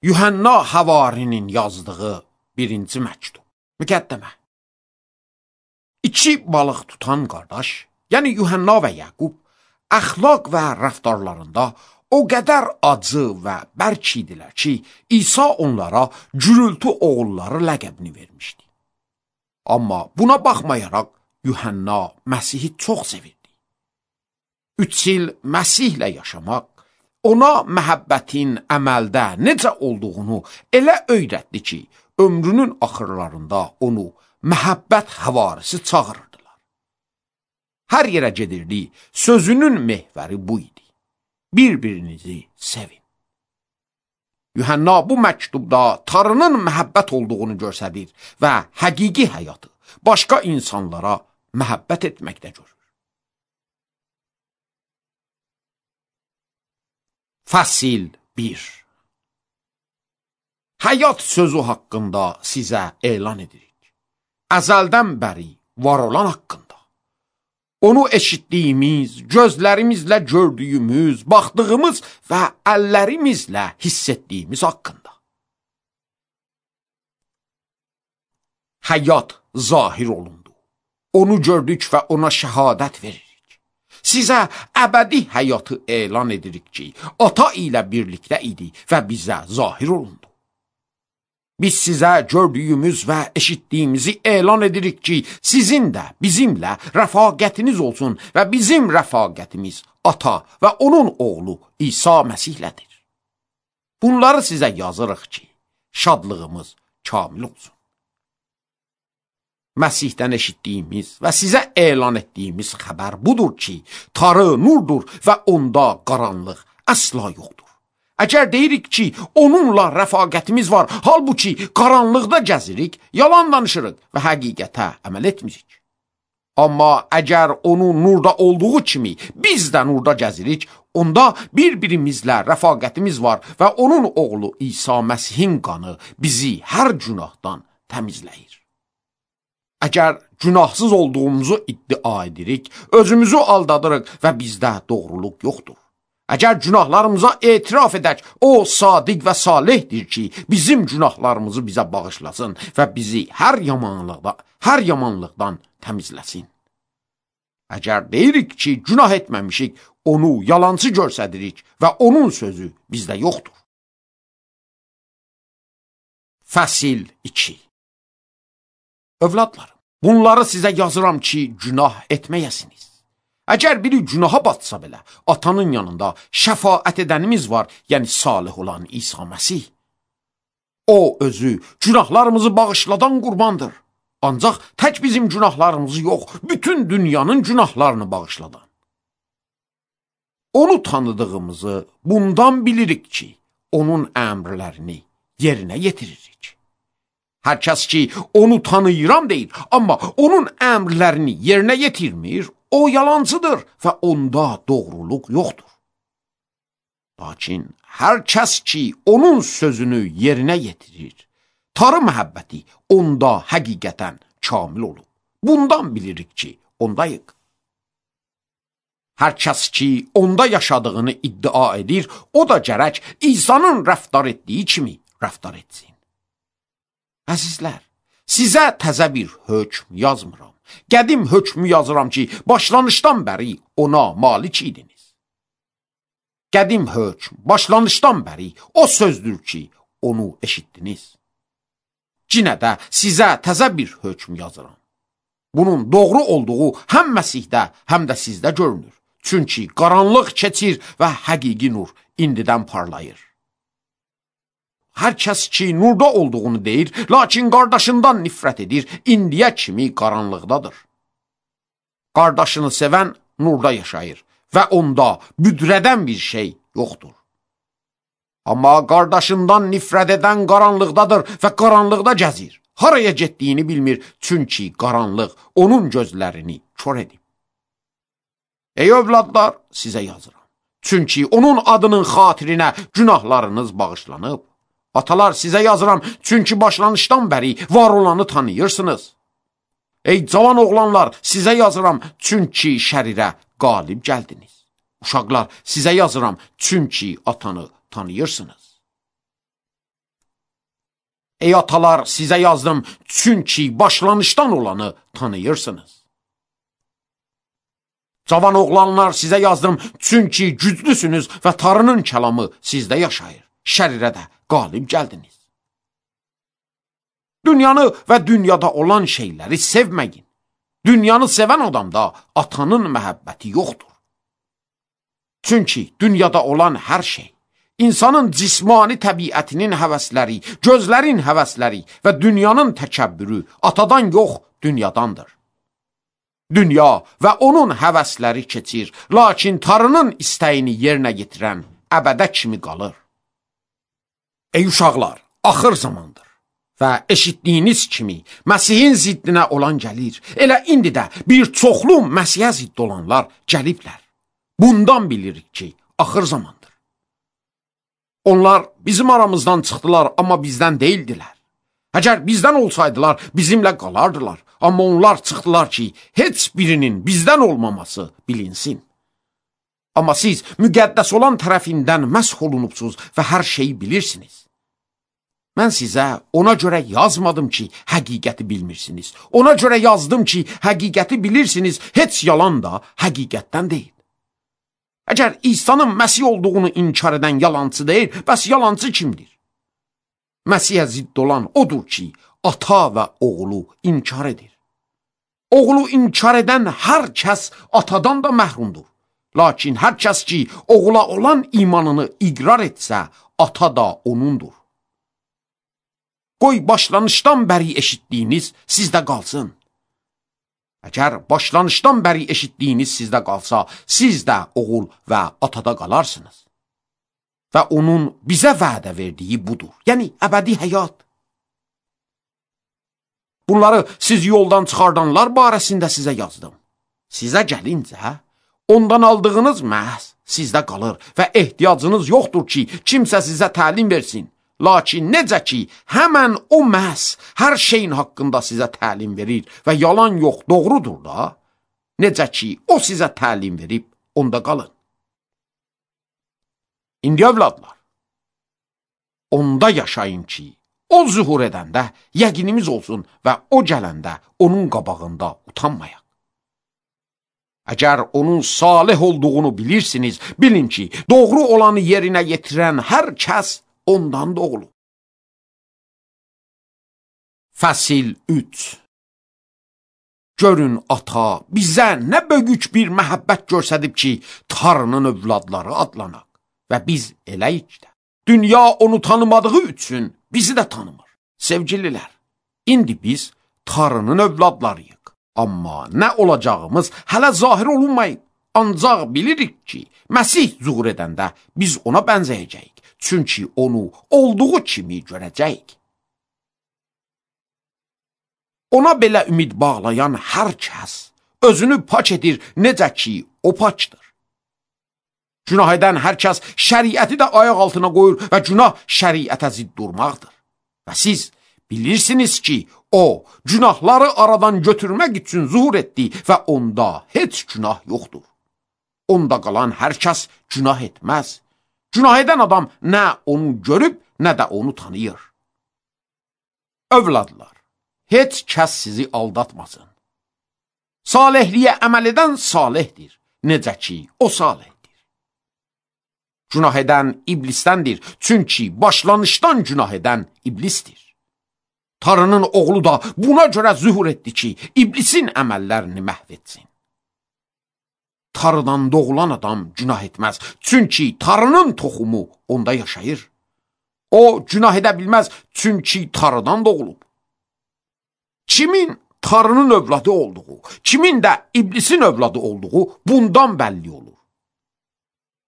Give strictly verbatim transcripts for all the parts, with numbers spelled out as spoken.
Yuhanna Havarinin yazdığı birinci məktub. Müqəddəmə. İki balıq tutan qardaş, yəni Yuhanna və Yaqub, əxlaq və rəftarlarında o qədər acı və bərk idilər ki, İsa onlara gürültü oğulları ləqəbini vermişdi. Amma buna baxmayaraq, Yuhanna Məsihi çox sevirdi. Üç il Məsihlə yaşamaq, ona məhəbbətin əməldə necə olduğunu elə öyrətdi ki, ömrünün axırlarında onu məhəbbət həvarisi çağırırdılar. Hər yerə gedirdi, sözünün mehvəri bu idi. Bir-birinizi sevin. Yuhanna bu məktubda Tanrının məhəbbət olduğunu göstərir və həqiqi həyatı başqa insanlara məhəbbət etməkdə görür. Fəsil bir. Həyat sözü haqqında sizə elan edirik. Əzəldən bəri var olan haqqında. Onu eşitdiyimiz, gözlərimizlə gördüyümüz, baxdığımız və əllərimizlə hiss etdiyimiz haqqında. Həyat zahir olundu. Onu gördük və ona şəhadət veririk. Sizə əbədi həyatı elan edirik ki, ata ilə birlikdə idi və bizə zahir olundu. Biz sizə gördüyümüz və eşitdiyimizi elan edirik ki, sizin də bizimlə rəfaqətiniz olsun və bizim rəfaqətimiz ata və onun oğlu İsa Məsihlədir. Bunları sizə yazırıq ki, şadlığımız kamil olsun. Məsihdən eşitdiyimiz və sizə elan etdiyimiz xəbər budur ki, Tanrı nurdur və onda qaranlıq əsla yoxdur. Əgər deyirik ki, onunla rəfaqətimiz var, halbuki qaranlıqda gəzirik, yalan danışırıq və həqiqətə əməl etmirik. Amma əgər onun nurda olduğu kimi biz də nurda gəzirik, onda bir-birimizlə rəfaqətimiz var və onun oğlu İsa Məsihin qanı bizi hər günahdan təmizləyir. Əgər günahsız olduğumuzu iddia edirik, özümüzü aldadırıq və bizdə doğruluq yoxdur. Əgər günahlarımıza etiraf edək, o sadiq və salihdir ki, bizim günahlarımızı bizə bağışlasın və bizi hər yamanlıqdan, hər yamanlıqdan təmizləsin. Əgər deyirik ki, günah etməmişik, onu yalancı göstəririk və onun sözü bizdə yoxdur. Fəsil iki. Övladlarım, bunları sizə yazıram ki, günah etməyəsiniz. Əgər biri günaha batsa belə, atanın yanında şəfaət edənimiz var, yəni salih olan İsa Məsih. O özü günahlarımızı bağışladan qurbandır. Ancaq tək bizim günahlarımızı yox, bütün dünyanın günahlarını bağışladan. Onu tanıdığımızı bundan bilirik ki, onun əmrlərini yerinə yetiririk. Hər kəs ki, onu tanıyıram deyir, amma onun əmrlərini yerinə yetirmir, o yalancıdır və onda doğruluq yoxdur. Lakin hər kəs ki, onun sözünü yerinə yetirir, Tanrı məhəbbəti onda həqiqətən kamil olub. Bundan bilirik ki, ondayıq. Hər kəs ki, onda yaşadığını iddia edir, o da gərək İsa'nın rəftar etdiyi kimi rəftar etsin. Əzizlər, sizə təzə bir hökm yazmıram. Qədim hökmü yazıram ki, başlanışdan bəri ona malik idiniz. Qədim hökm, başlanışdan bəri o sözdür ki, onu eşitdiniz. Cinə də sizə təzə bir hökm yazıram. Bunun doğru olduğu həm Məsihdə, həm də sizdə görünür. Çünki qaranlıq keçir və həqiqi nur indidən parlayır. Hər kəs ki, nurda olduğunu deyir, lakin qardaşından nifrət edir, indiyə kimi qaranlıqdadır. Qardaşını sevən nurda yaşayır və onda büdrədən bir şey yoxdur. Amma qardaşından nifrət edən qaranlıqdadır və qaranlıqda gəzir. Haraya getdiyini bilmir, çünki qaranlıq onun gözlərini kör edib. Ey övladlar, sizə yazıram. Çünki onun adının xatirinə günahlarınız bağışlanıb. Atalar, sizə yazıram, çünki başlanışdan bəri var olanı tanıyırsınız. Ey cavan oğlanlar, sizə yazıram, çünki şərirə qalib gəldiniz. Uşaqlar, sizə yazıram, çünki atanı tanıyırsınız. Ey atalar, sizə yazdım, çünki başlanışdan olanı tanıyırsınız. Cavan oğlanlar, sizə yazdım, çünki güclüsünüz və Tanrının kəlamı sizdə yaşayır. Şərirə də qalib gəldiniz. Dünyanı və dünyada olan şeyləri sevməyin. Dünyanı sevən adamda atanın məhəbbəti yoxdur. Çünki dünyada olan hər şey, İnsanın cismani təbiətinin həvəsləri, gözlərin həvəsləri və dünyanın təkəbbürü atadan yox, dünyadandır. Dünya və onun həvəsləri keçir, lakin Tanrının istəyini yerinə yetirən əbədə kimi qalır. Ey uşaqlar, axır zamandır və eşitdiyiniz kimi Məsihin ziddinə olan gəlir. Elə indi də bir çoxlu Məsihə zidd olanlar gəliblər. Bundan bilirik ki, axır zamandır. Onlar bizim aramızdan çıxdılar, amma bizdən deyildilər. Əgər bizdən olsaydılar, bizimlə qalardılar. Amma onlar çıxdılar ki, heç birinin bizdən olmaması bilinsin. Amma siz müqəddəs olan tərəfindən məsh olunubsuz və hər şeyi bilirsiniz. Mən sizə ona görə yazmadım ki, həqiqəti bilmirsiniz. Ona görə yazdım ki, həqiqəti bilirsiniz, heç yalan da həqiqətdən deyil. Əgər İsa'nın Məsih olduğunu inkar edən yalancı deyil, bəs yalancı kimdir? Məsihə zidd olan odur ki, ata və oğlu inkar edir. Oğlu inkar edən hər kəs atadan da məhrumdur. Lakin hər kəs ki, oğula olan imanını iqrar etsə, ata da onundur. Qoy başlanışdan bəri eşitdiyiniz sizdə qalsın. Əgər başlanışdan bəri eşitdiyiniz sizdə qalsa, siz də oğul və atada qalarsınız. Və onun bizə vədə verdiyi budur, yəni əbədi həyat. Bunları siz yoldan çıxardanlar barəsində sizə yazdım. Sizə gəlincə, ondan aldığınız məhz sizdə qalır və ehtiyacınız yoxdur ki, kimsə sizə təlim versin. Lakin necə ki, həmən o məhz hər şeyin haqqında sizə təlim verir və yalan yox, doğrudur da, necə ki, o sizə təlim verib, onda qalın. İndi övladlar, onda yaşayın ki, o zuhur edəndə yəqinimiz olsun və o gələndə onun qabağında utanmayaq. Əgər onun salih olduğunu bilirsiniz, bilin ki, doğru olanı yerinə yetirən hər kəs ondan doğulub. Fəsil üç. Görün ata bizə nə böyük bir məhəbbət göstərib ki, Tanrının övladları adlanaq və biz eləyik də. Dünya onu tanımadığı üçün bizi də tanımır. Sevgililər, indi biz Tanrının övladlarıyıq. Amma nə olacağımız hələ zahir olunmayıb. Ancaq bilirik ki, Məsih zuhur edəndə biz ona bənzəyəcəyik. Çünki onu olduğu kimi görəcəyik. Ona belə ümid bağlayan hər kəs özünü paç edir, necə ki, o paçdır. Günah edən hər kəs şəriəti də ayaq altına qoyur və günah şəriətə zidd durmaqdır. Və siz bilirsiniz ki, o, günahları aradan götürmək üçün zuhur etdi və onda heç günah yoxdur. Onda qalan hər kəs günah etməz. Günah edən adam nə onu görüb, nə də onu tanıyır. Övladlar, heç kəs sizi aldatmasın. Salihliyə əməl edən salihdir, necə ki, o salihdir. Günah edən iblisdəndir, çünki başlanışdan günah edən iblisdir. Tanrının oğlu da buna görə zühur etdi ki, iblisin əməllərini məhv etsin. Tanrıdan doğulan adam günah etməz, çünki Tanrının toxumu onda yaşayır. O günah edə bilməz, çünki Tanrıdan doğulub. Kimin Tanrının övladı olduğu, kimin də iblisin övladı olduğu bundan bəlli olur.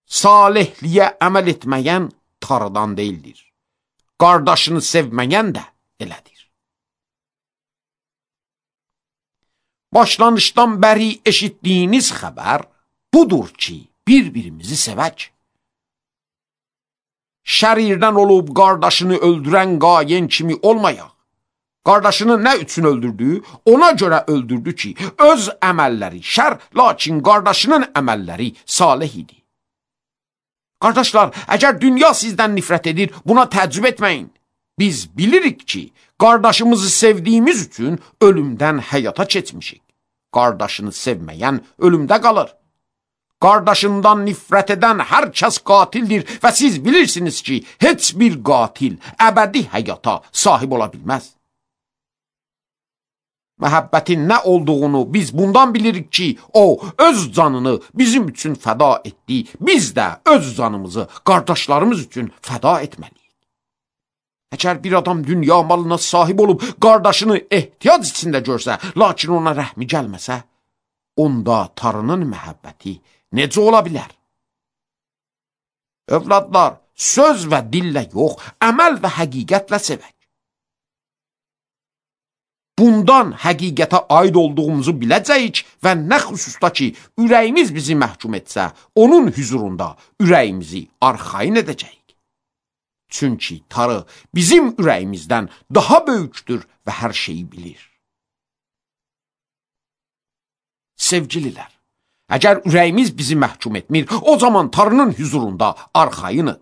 Salihliyə əməl etməyən Tanrıdan deyildir. Qardaşını sevməyən də elədir. Başlanışdan bəri eşitdiyiniz xəbər budur ki, bir-birimizi sevək. Şərirdən olub qardaşını öldürən qayen kimi olmayaq. Qardaşını nə üçün öldürdü? Ona görə öldürdü ki, öz əməlləri şər, lakin qardaşının əməlləri salih idi. Qardaşlar, əgər dünya sizdən nifrət edir, buna təəccüb etməyin. Biz bilirik ki, qardaşımızı sevdiyimiz üçün ölümdən həyata keçmişik. Qardaşını sevməyən ölümdə qalır. Qardaşından nifrət edən hər kəs qatildir və siz bilirsiniz ki, heç bir qatil əbədi həyata sahib ola bilməz. Məhəbbətin nə olduğunu biz bundan bilirik ki, o öz canını bizim üçün fəda etdi. Biz də öz canımızı qardaşlarımız üçün fəda etməliyik. Əgər bir adam dünya malına sahib olub qardaşını ehtiyac içində görsə, lakin ona rəhmi gəlməsə, onda Tanrının məhəbbəti necə ola bilər? Övladlar, söz və dillə yox, əməl və həqiqətlə sevək. Bundan həqiqətə aid olduğumuzu biləcəyik və nə xüsusda ki, ürəyimiz bizi məhkum etsə, onun hüzurunda ürəyimizi arxayın edəcəyik. Çünki Tanrı bizim ürəyimizdən daha böyükdür və hər şeyi bilir. Sevgililər, əgər ürəyimiz bizi məhkum etmir, o zaman Tanrının hüzurunda arxayınıq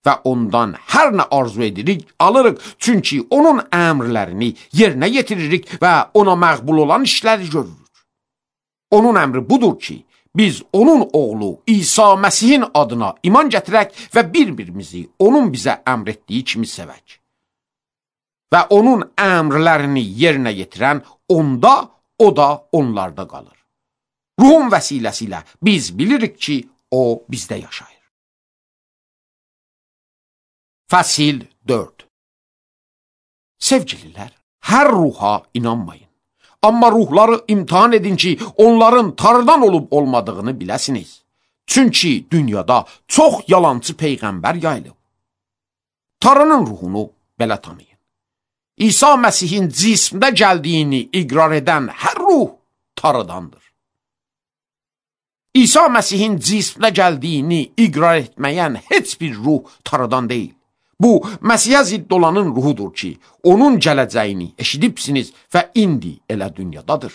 və ondan hər nə arzu edirik, alırıq. Çünki onun əmrlərini yerinə yetiririk və ona məqbul olan işləri görürük. Onun əmri budur ki, biz onun oğlu İsa Məsihin adına iman gətirək və bir-birimizi onun bizə əmr etdiyi kimi sevək. Və onun əmrlərini yerinə yetirən onda, o da onlarda qalır. Ruhun vəsiləsi biz bilirik ki, o bizdə yaşayır. Fəsil dörd. Sevgililər, hər ruha inanmayın. Amma ruhları imtihan edin ki, onların Tanrıdan olub olmadığını biləsiniz. Çünki dünyada çox yalancı peyğəmbər yayılıb. Tanrının ruhunu belə tanıyın. İsa Məsihin cismdə gəldiyini iqrar edən hər ruh Tanrıdandır. İsa Məsihin cismdə gəldiyini iqrar etməyən heç bir ruh Tanrıdan deyil. Bu, Məsihə zidd olanın ruhudur ki, onun gələcəyini eşidibsiniz və indi elə dünyadadır.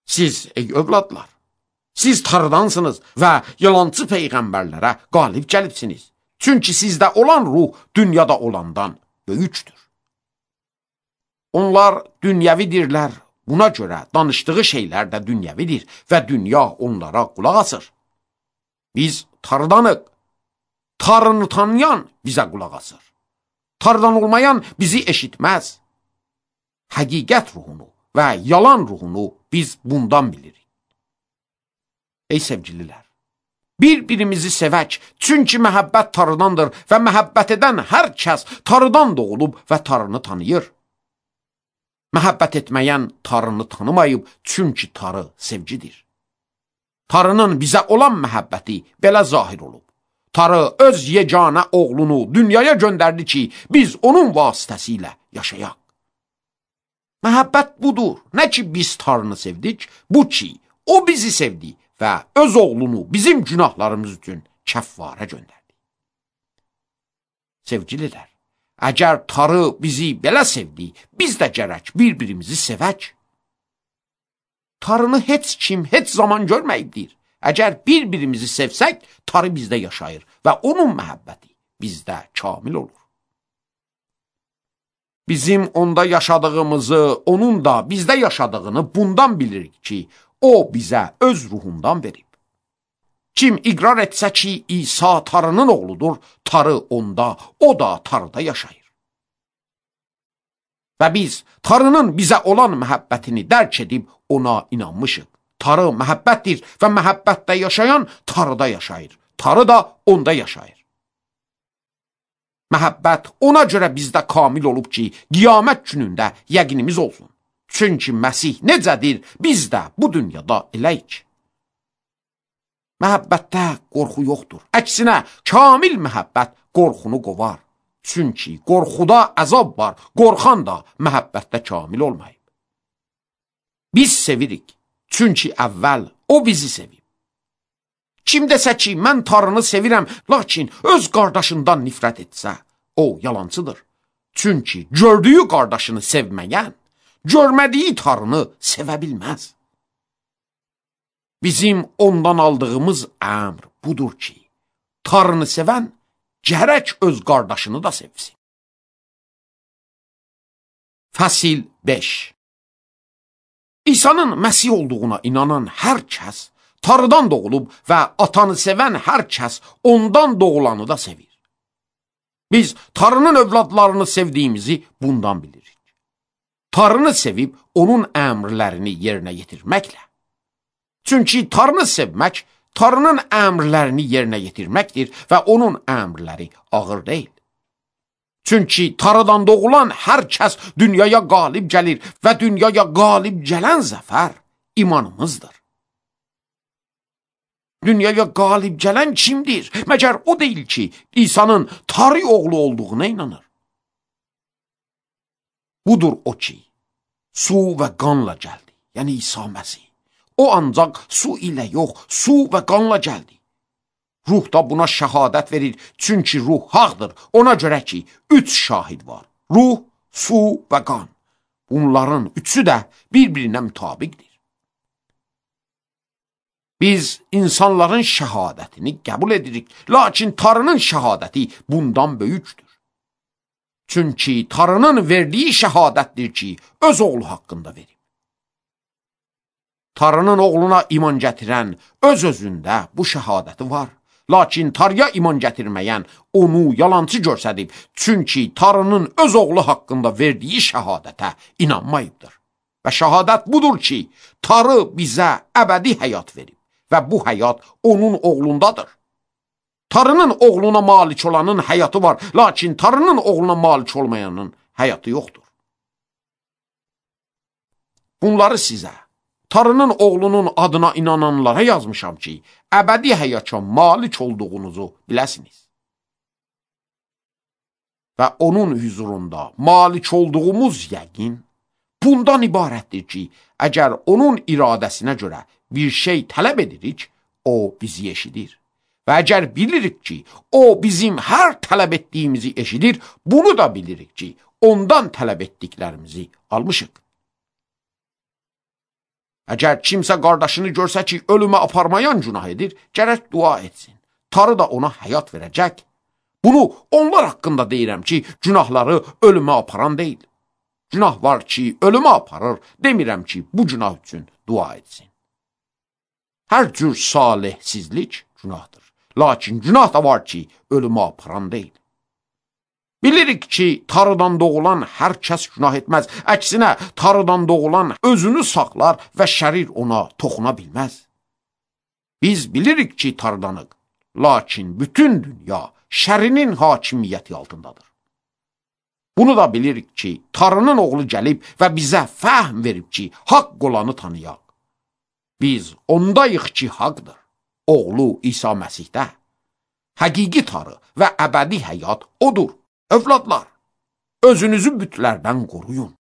Siz, ey övladlar, siz Tanrıdansınız və yalancı peyğəmbərlərə qalib gəlibsiniz. Çünki sizdə olan ruh dünyada olandan böyükdür. Onlar dünyəvidirlər, buna görə danışdığı şeylər də dünyəvidir və dünya onlara qulaq asır. Biz Tanrıdanıq. Tanrını tanıyan bizə qulaq asır. Tanrıdan olmayan bizi eşitməz. Həqiqət ruhunu və yalan ruhunu biz bundan bilirik. Ey sevgililər, bir-birimizi sevək, çünki məhəbbət Tanrıdandır və məhəbbət edən hər kəs Tanrıdan doğulub və Tanrını tanıyır. Məhəbbət etməyən Tanrını tanımayıb, çünki Tanrı sevgidir. Tanrının bizə olan məhəbbəti belə zahir olub. Tanrı öz yeganə oğlunu dünyaya göndərdi ki, biz onun vasitəsilə yaşayaq. Məhəbbət budur, nə ki biz Tanrını sevdik, bu ki, o bizi sevdi və öz oğlunu bizim günahlarımız üçün kəffarə göndərdi. Sevgililər, əgər Tanrı bizi belə sevdi, biz də gərək bir-birimizi sevək. Tanrını heç kim heç zaman görməyibdir. Əgər bir-birimizi sevsək, Tanrı bizdə yaşayır və onun məhəbbəti bizdə kamil olur. Bizim onda yaşadığımızı, onun da bizdə yaşadığını bundan bilirik ki, o bizə öz ruhundan verib. Kim iqrar etsə ki, İsa Tanrının oğludur, Tanrı onda, o da Tanrıda yaşayır. Və biz Tanrının bizə olan məhəbbətini dərk edib ona inanmışıq. Tanrı məhəbbətdir və məhəbbətdə yaşayan Tanrıda yaşayır. Tanrı da onda yaşayır. Məhəbbət ona görə bizdə kamil olub ki, qiyamət günündə yəqinimiz olsun. Çünki Məsih necədir, biz də bu dünyada eləyik. Məhəbbətdə qorxu yoxdur. Əksinə, kamil məhəbbət qorxunu qovar. Çünki qorxuda əzab var, qorxan da məhəbbətdə kamil olmayıb. Biz sevirik. Çünki əvvəl o bizi sevib. Kim desə ki, mən Tanrını sevirəm, lakin öz qardaşından nifrət etsə, o yalancıdır. Çünki gördüyü qardaşını sevməyən, görmədiyi Tanrını sevə bilməz. Bizim ondan aldığımız əmr budur ki, Tanrını sevən gərək öz qardaşını da sevsin. Fəsil beş. İsa'nın Məsih olduğuna inanan hər kəs Tanrıdan doğulub və atanı sevən hər kəs ondan doğulanı da sevir. Biz Tanrının övladlarını sevdiyimizi bundan bilirik. Tanrını sevib onun əmrlərini yerinə yetirməklə. Çünki Tanrını sevmək Tanrının əmrlərini yerinə yetirməkdir və onun əmrləri ağır deyil. Çünki Tanrıdan doğulan hər kəs dünyaya qalib gəlir və dünyaya qalib gələn zəfər imanımızdır. Dünyaya qalib gələn kimdir? Məgər o deyil ki, İsa'nın Tanrı oğlu olduğuna inanır. Budur o ki, su və qanla gəldi, yəni İsa Məsih. O ancaq su ilə yox, su və qanla gəldi. Ruh da buna şəhadət verir, çünki ruh haqdır. Ona görə ki, üç şahid var. Ruh, su və qan. Bunların üçü də bir-birinə mütabiqdir. Biz insanların şəhadətini qəbul edirik, lakin Tanrının şəhadəti bundan böyükdür. Çünki Tanrının verdiyi şəhadətdir ki, öz oğlu haqqında verib. Tanrının oğluna iman gətirən öz-özündə bu şəhadəti var. Lakin Tanrıya iman gətirməyən onu yalancı görsədib, çünki Tanrının öz oğlu haqqında verdiyi şəhadətə inanmayıbdır. Və şəhadət budur ki, Tanrı bizə əbədi həyat verib və bu həyat onun oğlundadır. Tanrının oğluna malik olanın həyatı var, lakin Tanrının oğluna malik olmayanın həyatı yoxdur. Bunları sizə, Tanrının oğlunun adına inananlara yazmışam ki, əbədi həyata malik olduğunuzu biləsiniz. Və onun hüzurunda malik olduğumuz yəqin bundan ibarətdir ki, əgər onun iradəsinə görə bir şey tələb edirik, o bizi eşidir. Və əgər bilirik ki, o bizim hər tələb etdiyimizi eşidir, bunu da bilirik ki, ondan tələb etdiklərimizi almışıq. Əgər kimsə qardaşını görsə ki, ölümə aparmayan günah edir, gərək dua etsin. Tanrı da ona həyat verəcək. Bunu onlar haqqında deyirəm ki, günahları ölümə aparan deyil. Günah var ki, ölümə aparır, demirəm ki, bu günah üçün dua etsin. Hər cür salihsizlik günahdır. Lakin günah da var ki, ölümə aparan deyil. Bilirik ki, Tanrıdan doğulan hər kəs günah etməz. Əksinə, Tanrıdan doğulan özünü saxlar və şərir ona toxuna bilməz. Biz bilirik ki, Tanrıdanıq, lakin bütün dünya şərinin hakimiyyəti altındadır. Bunu da bilirik ki, Tanrının oğlu gəlib və bizə fəhm verib ki, haqq olanı tanıyaq. Biz ondayıq ki, haqdır. Oğlu İsa Məsihdə. Həqiqi Tanrı və əbədi həyat odur. Övladlar, özünüzü bütlərdən qoruyun.